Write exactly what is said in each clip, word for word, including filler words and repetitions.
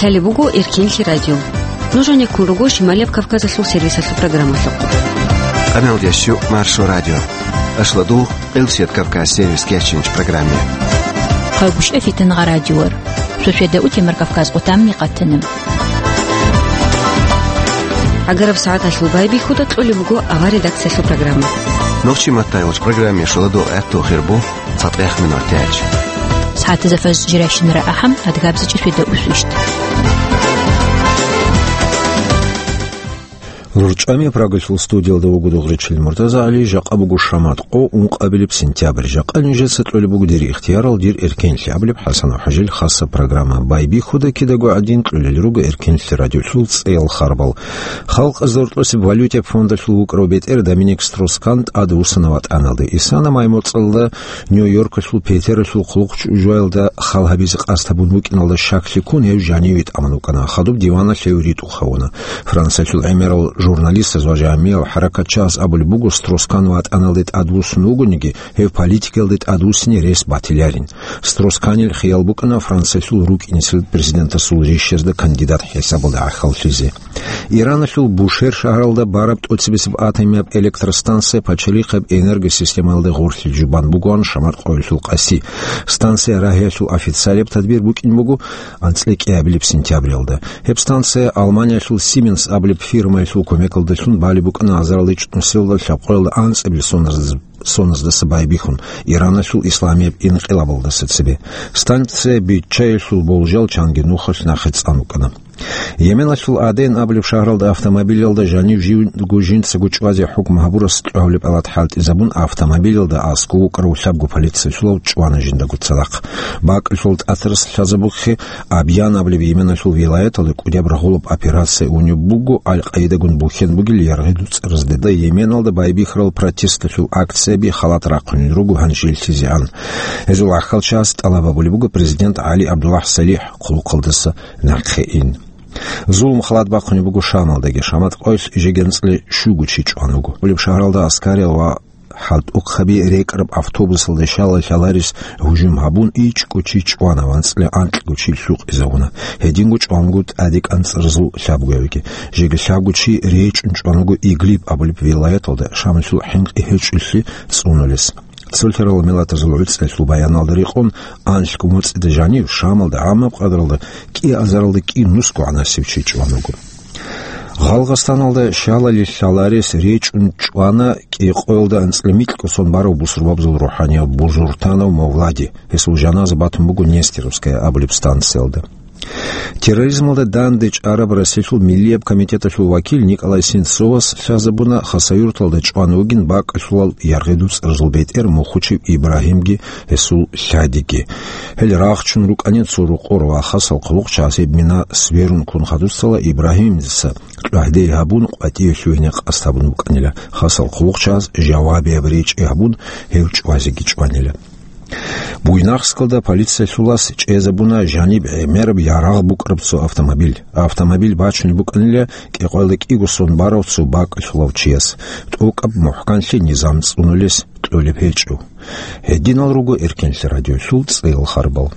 Лъалеб буго Эркенлъи радио. Нуж гьанеккун руго Шималияб Кавказалъул сервисалъул программалъухъ. Къаналдящу Маршо радио. Ашладу Къилсият Кавказ сервис кечинч программе. Хъагушев Фитнагъа радиор. Шошеда утемар Кавказ къутамни къатана. Агараб сагӀаталъул байбихьуда кьолеб буго авар редакциялъул программа. Нохчи маттай вач программе шоладу гӀатту хирбу. ЦатӀех минутач. СагӀатазда фажр жирайщинара ахӀам, адгабзичӀи шведа усвищт. РучӀами Прагалъул студиялда вуго Дугъричил МуртазагӀали, жакъа буго шамат къо, ункъабилеб сентябрь. Жакъа нижеца кьолеб буго дир ихтиярал, дир эркенлъи абулеб ХӀасан ва ХӀажил хасаб программа. Байбихьуда кидаго гӀадин кьолел руго Эркенлъи радиолъул цӀеял харбал. Халкъазда гьоркьосеб валютияб фондалъул вукӀарав бетӀер Доминик Строс-Кан тӀадвуссана ватӀаналде. Исана май-моцӀалда Нью-Йоркалъул Петералъул хъулухъ чӀужуялда хал гьабизе къасд гьабун букӀиналда щаклъи ккун, гьев жаниве тӀамун вукӀана. Хадуб диваналъ гьев ритӀухъ гьавуна. Франциялъул гӀемерал журналистаз ва жагьмиял хӀаракатчияс абулеб буго, Строс-Кан ватӀаналде тӀадвуссун вугониги, гьев политикаялде тӀадвуссине рес батиларин. Строс-Канил хиял букӀана Франциялъул рукӀинцин президентасул рищазда кандидат хӀисабалда гӀахьаллъизе. Ираналъул Бушер шагьаралда бараб тӀоцебесеб атомияб электростанция пачалихъаб энергосистемаялда гъорлъ жубан бугоан шамат къоялъул къаси. Станция рагьиялъул официалияб тадбир букӀин буго анцӀила кӀиабилеб сентябралда. Гьеб станция Алманиялъул Siemens абулеб фирмаялъул кумекалдалъун балеб букӀана азарилчӀ нусиялда лъабкъоялда анцӀабилеб соназдаса байбихьун, Ираналъул исламияб инкъилабалдаса цебе. Станция биччаялъул болжал чанги нухалъ нахъе цӀан вукӀана. Йеменалъул Аден абулеб шагьаралда автомобилялда жанив живго жинцаго чӀвазе хӀукму гьабурас кьогьабилеб палат хӀалтӀизабун, автомобилялда аскӀов вукӀарав лъабго полициялъулав чӀвана жиндаго цадахъ. БакӀалъул тӀатарас лъазабухъе Абьян абулеб Йеменалъул вилаяталда кӀудияб рагъулаб операция унеб буго, Аль-Къаидагун бухьен бугел яргъи дуцӀаразде. Йеменалда байбихьарал протесталъул акцияби халат рахъунел руго гьанжеллъизе ан. Гьезул гӀахьалчияс тӀалаб гьабулеб буго президент ГӀали ГӀабдуллагь СалихӀ хъулухъалдаса нахъе ин. Зулму халат бахъунеб буго Шамалдаги. Шамат къоялъ жеги анцӀила щуго чи чӀван вуго. Гьеб шагьаралда аскариял ва хӀалтӀухъаби рекӀараб автобусалда щала лъаларес гьужум гьабун, ичӀго чи чӀвана ва анцӀила анкьго чи лъукъизавуна. Гьединго чӀван вуго тӀаде кӀанцӀаразул лъабгоявиги. Жеги лъабго чи речӀчӀун чӀван вуго Идлиб абулеб вилаяталда, Шамалъул хӀинкъи гьечӀолъи цӀунулес. Цолъарал миллатазул гӀуцӀиялъул баяналда рекъон, анлъго моцӀида жанив Шамалда гӀамаб къадралда кӀиазаралда кӀинусго гӀанасев чи чӀван вуго. Гъалгъастаналда щалали лъаларес речӀчӀун чӀвана кӀикъоялда анцӀила микьго сон барав бусурбабазул рухӀанияб Бузуртанов Мовлади. Гьесул жаназа батун буго Нестеровская абулеб станциялда. Терроризмалда данде чӀараб Россиялъул Миллияб комитеталъул вакил Николай Сенцовас лъазабуна, Хасавюрталда чӀван вугин бакӀалъулал яргъи дуцӀаразул бетӀер Мухучев Ибрагьимги гьесул лъадиги. Гьел рагъчун рукӀанин цо рокъор ва хасал хъулухъчияс гьеб мина сверун ккун хадусала Ибрагьимица кьвагьдей гьабун, къватӀиве лъугьине къасд гьабун букӀанила. Хасал хъулухъчияс жавабияб речӀчӀи гьабун, гьев чӀвазеги чӀванила. Буйнакскалда полициялъулас чӀезабуна жаниб гӀемераб ярагъ букӀараб цо автомобиль. Автомобиль бачунеб букӀанила кӀикъоялда кӀиго сон барав цо бакӀалъулав чияс. ТӀокӀаб мухӀканлъи низам цӀунулес кьолеб гьечӀо. Гьединал руго Эркенлъи радиолъул цӀеял харбал.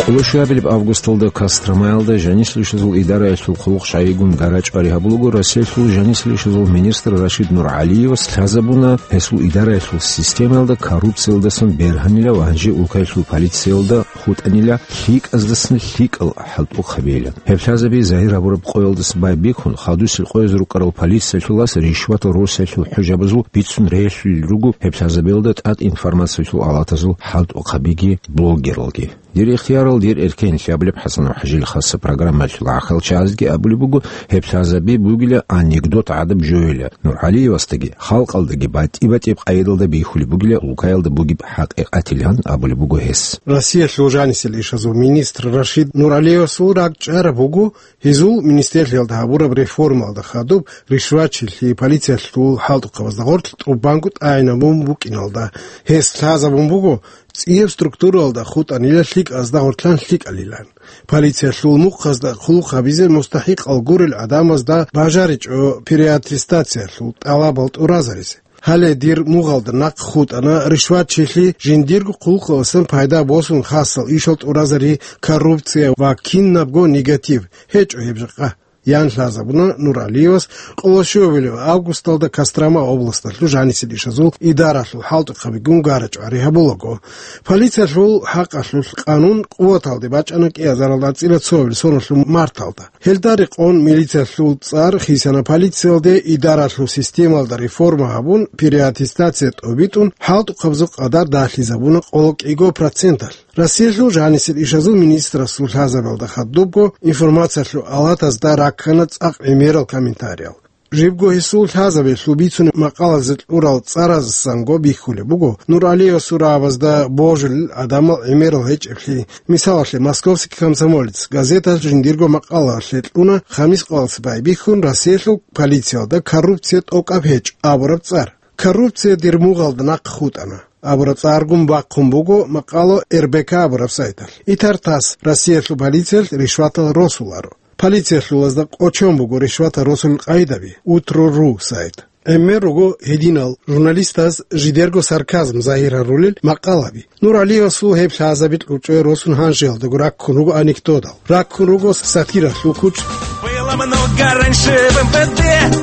Къоло щуабилеб августалда Костромаялда жанисел ишазул идараялъул хъулухъ щайигун гара-чӀвари гьабулаго, Россиялъул жанисел ишазул министр Рашид НургӀалиевас лъазабуна, гьесул идараялъул системаялда коррупциялдасан бергьанила ва гьанже улкаялъул полициялда хутӀанила лъикӀаздасан лъикӀал хӀалтӀухъ гьабейилан. Гьеб лъазаби загьир гьабураб къоялдаса байбихьун, хадусел къояз рукӀарал полициялъулас ришватал росиялъул хӀужабазул бицун релълъулел руго гьеб лъазабиялда тӀад информациялъул алатазул хӀалтӀухъабиги блогералги. Дир ихтиярал, дир эркенлъи абулеб ХӀасан ва ХӀажил хасаб программаялъул гӀахьалчазги абулеб буго, гьеб лъазаби бугила анекдот гӀадаб жояла, НургӀалиевасдаги, халкъалдаги батӀи-батӀияб къайдалда бихьулеб бугила, улкаялда бугеб хӀакъикъатилан абулеб буго гьес. Россиялъул жанисел ишазул министр Рашид НургӀалиевасул ракӀчӀараб буго, гьезул министрлъиялда гьабураб реформаялда хадуб ришватчилъи полициялъул хӀалтӀухъабазда гъорлъ тӀубанго тӀагӀинабун букӀиналда, гьес лъазабун буго, цӀияб структураялда хутӀанила лъикӀазда гъорлъан лъикӀалилан. Полициялъул мухъазда хъулухъ гьабизе мустахӀикъал гурел гӀадамазда бажаричӀо переаттестациялъул тӀалабал тӀуразаризе. Гьале дир мугъалда нахъ хутӀана ришватчилъи, жиндирго хъулухъалъан пайда босун хасал ишал тӀуразари, коррупция ва кинабго негатив гьечӀо гьеб жакъа, ян лъазабуна Нуралиевас, къоло щуабилеб августалда Кострома областалъул жанисел ишазул идаралъул хӀалтӀухъабигун гара-чӀвари гьабулаго. Полициялъул хӀакъалъулъ къанун къуваталде бачӀана кӀиазаралда цӀила цоабил соналъул марталда. Гьелда рекъон милициялъул цӀар хисана полициялде, идаралъул системалда реформа гьабун, переаттестация тӀобитӀун, хӀалтӀухъабазул къадар дагьлъизабуна къоло кӀиго проценталъ. Россиялъул жанисел ишазул министрасул лъазабиялда хадубго информациялъул алатазда раккана цӀакъ гӀемерал комментариял. Жибго гьесул лъазабиялъул бицунеб макъалазе кьурал цӀаразсанго бихьулеб буго Нуралиевасул рагӀабазда божулел гӀадамал гӀемерал гьечӀеблъи. Мисалалъе, «Московский комсомолец» газеталъ жиндирго макъалалъе кьуна Хамис Къаласбай бихьун Россиялъул полициялда «Коррупция тӀокӀаб гьечӀ» абураб цӀар. «Коррупция дир мугъалда нахъ хутӀана» абураб цӀаргун бахъун буго макъала РБК абураб сайталъ. Итар тас Россиялъул полициялъ ришватал росуларо. Полициялъулазда къочон буго ришватал росулел къайдаби, Утро.ру сайт. ГӀемер руго гьединал журналистаз жидерго сарказм загьир гьарулел макъалаби. Нуралиевасул гьеб лъазаби кьучӀое росун гьанжеялдаго раккун руго анекдотал. Раккун руго сатиралъул кучӀ. Было много раньше в МВД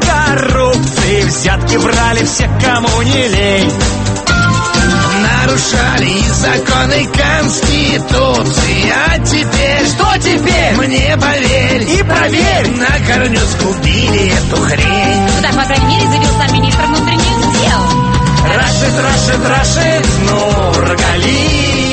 коррупции, взятки брали все, кому не лень. Нарушали и законы Конституции, а теперь... Что теперь? Мне поверь и проверь. На корню сгубили эту хрень. Ну так, по крайней мере, заявил сам министр внутренних дел. Рашид, Рашид, Рашид Нургалиев.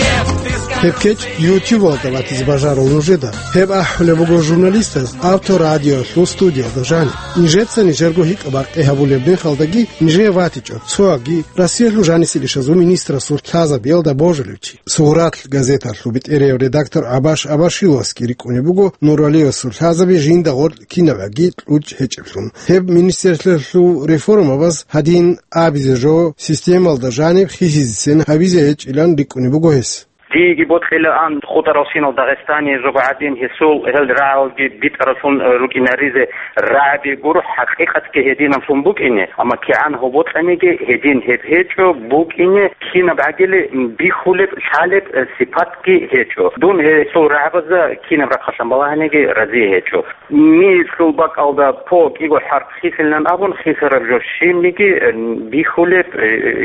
Гьеб кечӀ YouTube-алда батизе бажарал нужеда. Гьеб ахӀулеб буго журналистаз Авторадиолъул студиялда жаниб. Нижеца нижерго гьикъа-бакъи гьабулеб мехалдаги нижее ватичӀо цоги Россиялъул жанисел ишазул министрасул лъазабиялда божулев чи. «Сугъратлъ» газеталъул бетӀерияв редактор Абаш Абашиловасги рикӀкӀунеб буго Нуралиевасул лъазаби жинда гъоркь кинабгӀаги кьучӀ гьечӀеблъун. Гьеб министрлъиялъул реформабаз гьадин абизе жо, системалда жаниб хисизесен гьабизе гьечӀилан рикӀкӀунеб буго гьес. Диеги бокьилаан хутӀарал кинал Дагъистане жо гӀадин гьесул гьел рагӀалги битӀаралъун рукӀинаризе. РагӀаби гуро хӀакъикъатги гьединаблъун букӀине, амма кигӀан гьоб бокьаниги гьедин гьеб гьечӀо букӀине, кинаб гӀагили бихьулеб, лъалеб сипатги гьечӀо. Дун гьесул рагӀабазда кинаб рахъалъан балагьаниги разие гьечӀо. Мирлъул бакӀалда по кӀиго хӀарп хисилан абун хисараб жо щибниги бихьулеб,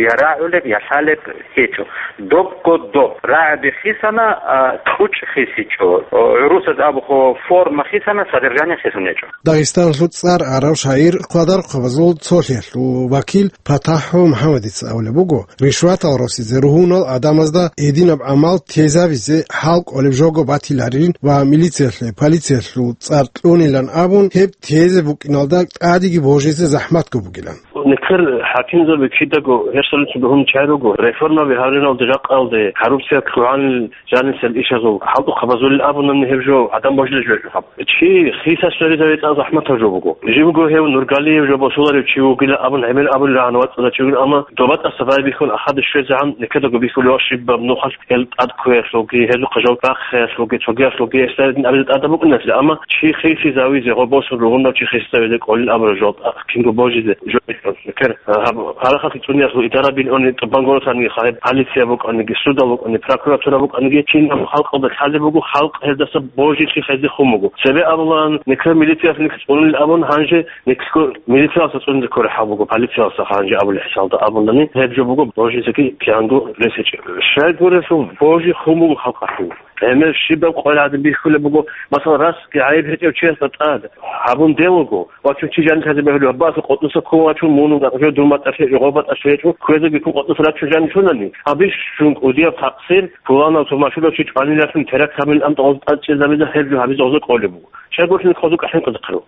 я рагӀулеб, я лъалеб гьечӀо. Добго доб. РагӀаби хисана, а, кьучӀ хисичӀо. ГӀурусаз абухъо, форма хисана, содержание хисун гьечӀо. Дагъистаналъул цӀар арав шагӀир, Къадархъабазул цолъиялъул вакил ПатахӀ МухӀамадица абулеб буго, ришватал росизе ругьунал гӀадамазда гьединаб гӀамал тезабизе хӀал кӀолеб жого батиларин ва милициялъе полициялъул цӀар кьунилан абун, гьеб тезе букӀиналда тӀадеги божизе захӀматго бугилан. Нилъер хӀакимзаби кидаго гьесулъ бугьун чай руго, реформаби гьариналде жакъалде коррупция лъугьанил жанисел ишазул хӀалтӀухъабазулел абунани гьеб жо гӀадан божулел жо гьаб. Чи хисас сверизаве тӀад захӀматаб жо буго. Жибго гьев Нургалиев жо босуларев чи вугила абун гӀемер абулел рагӀана вацӀцӀадав чи вугила, амма доба тӀаса байбихьун ахаде щвезегӀан никедаго бихьулев щибаб нухалъ гьел тӀад кквеялъулги, гьезухъа жо бахъиялъулги, цогиялъулги эсдайдин абизе тӀада букӀинатлъи, амма чи хисизавизе, гъо босун ругъунав чи хисизавизе кӀолин абураб жо тӀад кинго божизе жо бихьун. Кер, гьаб, гьарахъалъи цӀуниялъул идара билгьуни тӀубан горосаниги, хай полиция букӀаниги, судал букӀани, прокуратура букӀаниги, кинаб халкъалда лъалеб буго, халкъ гьездаса божилъи хезде хун буго. Цебе абулан, никлъ милициялъ никлъ цӀунил абун, гьанже никлъго милициялъа цӀунизе кколеб хӀал буго, полициялъа гьанже абулеб хӀисалда абунани, гьеб жо буго божизеги киянго рес гьечӀеб. Щай гурелъул божи хун буго халкъалъул. ГӀемер щибаб къваригӀадин бихьулеб буго, масала, расги гӀайиб гьечӀев чиясда тӀад гьабун дев вуго, вачун чи жанилъазе бегьулев, гьабаасул къотӀнуса ккун вачун, мун вугатӀа жо, дун батӀалъи гьечӀо, гъо батӀалъи гьечӀо, кквезеги ккун къотӀнуса рачун жанив чунани, абищун кӀудияб такъсир, пуланав-турмашулав чи чӀванилалъун теракт гьабилин амтӀа гъоз тӀад чӀезабизе, гьеб жо гьабизе гъозе кӀолеб буго. Щай гурелъул хозу кӀахӀинкъизехъе руго.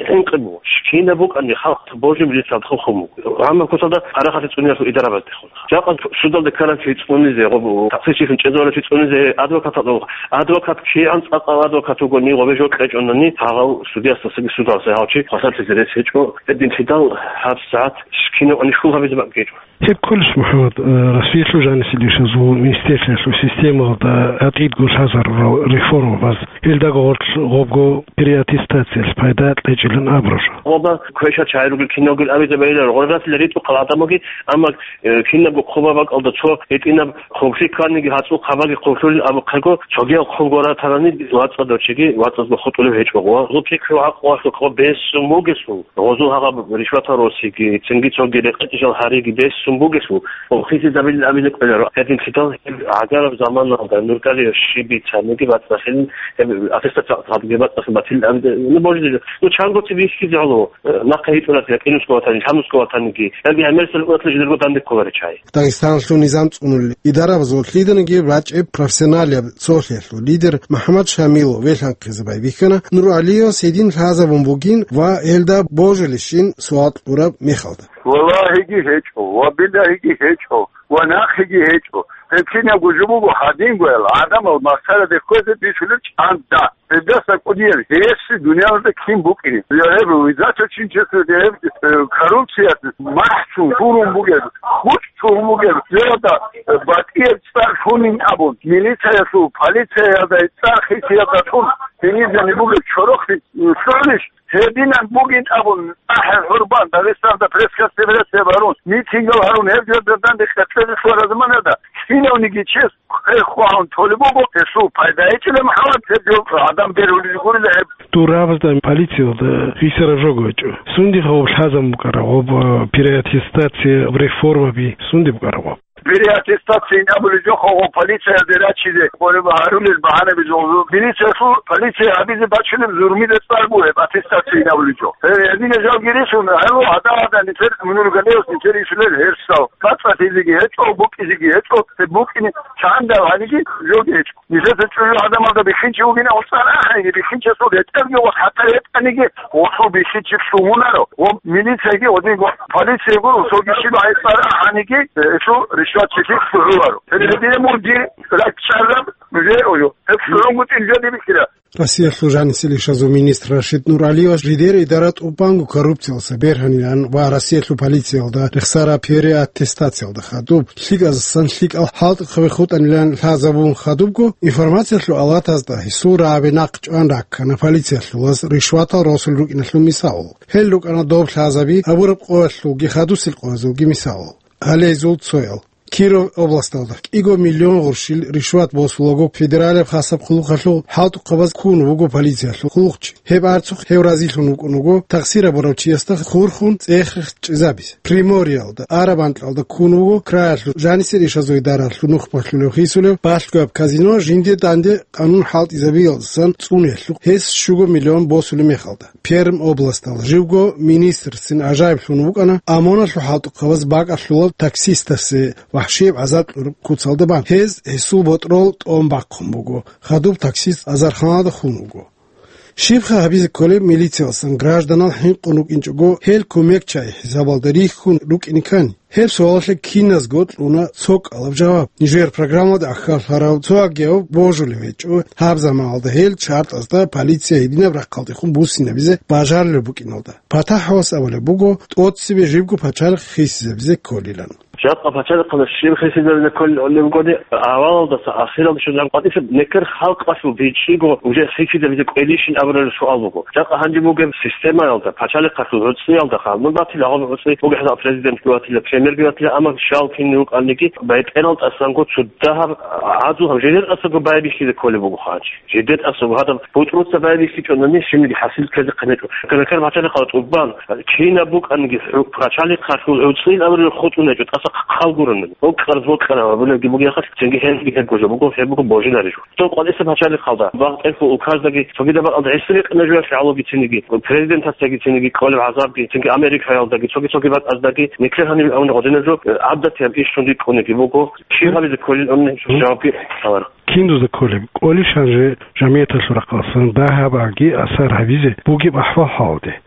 ХӀинкъи буго. Кинаб букӀани халкъ божи милицал хъухъун буго. Гьанна куталда гьарахъалъи цӀуниялъул идарабаздехун. Жакъа судалда ккарав чи цӀунизе, гъоб-, такъсирчилъун чӀезаварав чи цӀунизе, адвокаталда, адвокат кигӀан цӀакъав адвокат вугони, гъобе жо кьечӀонани, гьагъав судиясдасаги судалса гьав чи хвасарлъизе рес гьечӀо, гьединлъидал гьабсагӀат кинаб анищ хьул гьабизе бакӀ гьечӀо. Гьеб кколищ, МухӀаммад, э, Россиялъул жанисел ишазул министрлъиялъул системалда гьатӀидго лъазарурал реформабаз, гьелдаго гъорлъ гъобго переаттестациялъ пайда кьечӀилан абураб жо? Гъоба квеша чагӀи ругел киналгун абизе байиларо, гъорасила ритӀухъал гӀадамалги, амма, э, кинабго хъуба бакӀалда цо гьитӀинаб хъублъи кканиги, гьацӀул хъабаги хъублъулин абухъего, цогиял хъуб гуратарани вацӀцӀадав чиги вацӀцӀадго хутӀулев гьечӀо. Гъозул пикру гӀакълуялъухъ бесун бугесул, гъозул гьагъаб ришватал росиги, цинги цоги рекъечӀел гьариги бесун бугесул, хисизабилин абизе кӀоларо. Гьединлъидал гьеб гӀагараб заманалда нургали щиб бицаниги бацӀцӀалъилин, гьеб аттестат гьабги бацӀцӀалъи батилин абизе, ну, божи-, ну, чанго цебе бихьизе гӀоло, э, нахъа гьитӀуларги, якъинусго ватани, лъабнусго ватаниги, яги гӀемерисел унатлъи жидерго данде кколаричай. Дагъистаналъул низам цӀунулел идарабазул лъиданиги рачӀеб профессионалияб цолъиялъул лидер МухӀаммад Шамилов велъанхъизе байбихьана НургӀалиевас гьедин лъазабун бугин ва гьелда божулищин суал кьураб мехалда. Валлагьиги гьечӀо, ва билагьиги гьечӀо, ва нахъеги гьечӀо. Гьеб кинабго жо буго гьадингоял гӀадамал махсараде кквезе бихьулел чӀанда. Гьелдаса кӀудиял гьесси дуниялалда кин букӀине. Я гьеб, визачӀо чинчесда гьеб, э, коррупциялъ махӀчун гурун бугеб, гъучӀ чурун бугеб, гьелда, э, батӀияб цӀар лъунин абун, милициялъул, полициялда цӀар хисиялда тун, гьениб жаниб бугеб чорохлъи, э, лъугьунищ? Гьединан бугин абун, ахӀи гьурбан, Дагъистанда пресс-конференция гьарун, митингал гьарун, гьеб жо берданде къеркьезе лъугьараб заманалда, кинавниги чес хъе-, хъвагьун толеб буго, гьесул пайда гьечӀила, МухӀаммад, гьеб жо гӀадамал берулел гурила гьеб. Дурабазда полициялда гьисараб жого гьечӀо. Сундихъа гъоб лъазабун букӀараб гъоб, э, переаттестация, реформаби сунде букӀараб гъоб? Переаттестация ин абулеб жо гъоб полициялде рачизе, гъолеб гьарулел багьанаби жо. Милициялъул полиция гьабизе бачунеб зурмида цӀар бугеб аттестация ин абулеб жо. Э, гьединаб жо гьарун, гьалу гьадин-гьадин нилъер мунул галеялъ нилъер ишулел гьерсал. БацӀцӀалъизеги гьечӀо, букӀизеги гьечӀо, гьеб букӀине чандал гьаниги жоги гьечӀо. Нилъеца чӀужу гӀадамалда бихьинчи вугин, гъосул ахӀиги бихьинчиясул гьетӀерги ва хатӀа гьетӀаниги, гъосул бихьинчи лъугьунаро, ва милицияги гъодинго полицияго росоги щиб гьайцӀар ахӀаниги, гьесул ришватчилъи лъугьуларо. Гьеб гьединаб мун дир ракӀчӀараб жо гьечӀо. Гьеб лъугьунгутӀи жо дибихьила. Россиялъул жанисел ишазул министр Рашид НургӀалиевас жидер идара тӀубанго коррупциялдаса бергьанилан ва Россиялъул полициялда рехсараб переаттестациялда хадуб, лъикӀаздасан лъикӀал хӀалтӀухъаби хутӀанилан лъазабун хадубго, информациялъул алатазда гьесул рагӀаби нахъ чӀван раккана полициялъулаз ришватал росулел рукӀиналъул мисал. Гьел рукӀана доб лъазаби абураб къоялъулги хадусел къоязулги мисал. Гьале гьезул цоял. Киров областалда кӀиго миллион гъурщил ришват босулаго федералияб хасаб хъулухъалъул хӀалтӀухъабаз ккун вуго полициялъул хъулухъчи. Гьеб арцухъ гьев разилъун вукӀун вуго, тахсир гьабурав чиясда хурхун цӀех-рехс чӀезабизе. Приморьеялда, араб анкьалда ккун вуго краялъул жанисел ишазул идаралъул нухбалъулев хисулев балъгояб казино жинде данде къанун хӀалтӀизабиялдасан цӀуниялъухъ гьес щуго миллион босулеб мехалда. Пермь областалда живго министрцин гӀажаиблъун вукӀана ОМОНалъул хӀалтӀухъабаз бакӀалъулаб таксистасе вахӀшияб гӀазаб кьураб куцалда бан. Гьез гьесул ботӀрол тӀом бахъун буго, хадуб таксист азарханалда хун вуго. Щибха гьабизе кколеб милициялдасан гражданал хӀинкъун рукӀинчӀого, гьел кумекчагӀи хӀисабалда рихьун рукӀине ккани? Гьеб суалалъе киназго кьуна цо кӀалаб жаваб. Нижер программалда ахьаллъарав цо агияв божулев гьечӀо, гьаб заманалда гьел чартӀазда полиция гьединаб рахъалдехун буссинабизе бажарулеб букӀиналда. ПатахӀалас абулеб буго, тӀоцебе жибго пачалихъ хисизабизе кколилан. Жакъа пачалихъалда щиб хисизабизе кколин абулеб бугони, авалалдаса ахиралде щун жакъа къватӀиса некер халкъалъул бичӀчӀиго уже хисизабизе кӀвелищин абураб суал буго. Жакъа гьанже бугеб системаялда, пачалихъалъул гӀуцӀиялда ханун батила, гьаб гӀуцӀи бугеб хӀисаб президентги ватила, премьерги ватила, амма щал кин рукӀаниги, бетӀерал тӀасанго цо дагьаб гӀадул гьаб жидер тӀасаго байбихьизе кколеб буго хъанчи. Жидер тӀасаго гьадаб бутӀруца байбихьичӀонани, щибниги хӀасил ккезе хъинечӀо. Гьанже нехер пачалихъал тӀубан, кинаб букӀаниги, хӀу-, пачалихъалъул гӀуцӀил абураб хутӀун гьечӀо, тӀаса хъал гуронани. Бокьараз бокьараб абулебги бугехъалъ, цинги гьелги гьебго жо буго, гьеб буго божинари жо. Цо къватӀиса пачалихъалда, багъ тӀерхьул указдаги, цогидаб бакӀалда гӀисри къина жоялъе гӀологи цинги, президентасдаги цинги кӀолеб гӀазабги, цинги Америкаялдаги, цоги-цоги бакӀаздаги, никлер гьаниб абуна гъодинаб жо, э, гӀадатияб иш жин рикӀкӀунеги буго, кин гьабизе кколин абуни жавабги лъаларо. Кин дузда кколеб? КӀолищ гьанже жамигӀаталъул рахъалъан дагьабаги асар гьабизе бугеб ахӀвал-хӀалалде?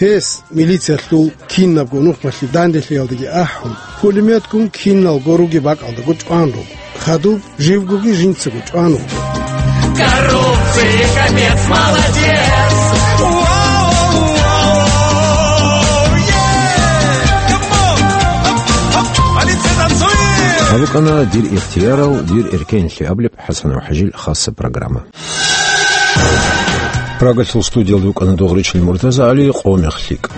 Гьес милициялъул кинабго нухмалъи данделъиялдаги ахӀун, пулеметгун киналго ругеб бакӀалдаго чӀван руго, хадуб живгоги жинцаго чӀван руго. Коррупция, капец, молодец! Гьаб букӀана «Дир ихтиярал, дир эркенлъи» абулеб ХӀасанов ХӀажил хасса программа. Прагалъул студиялда вукӀана Дугъричил МуртазагӀали, «Къо мех лъикӀ».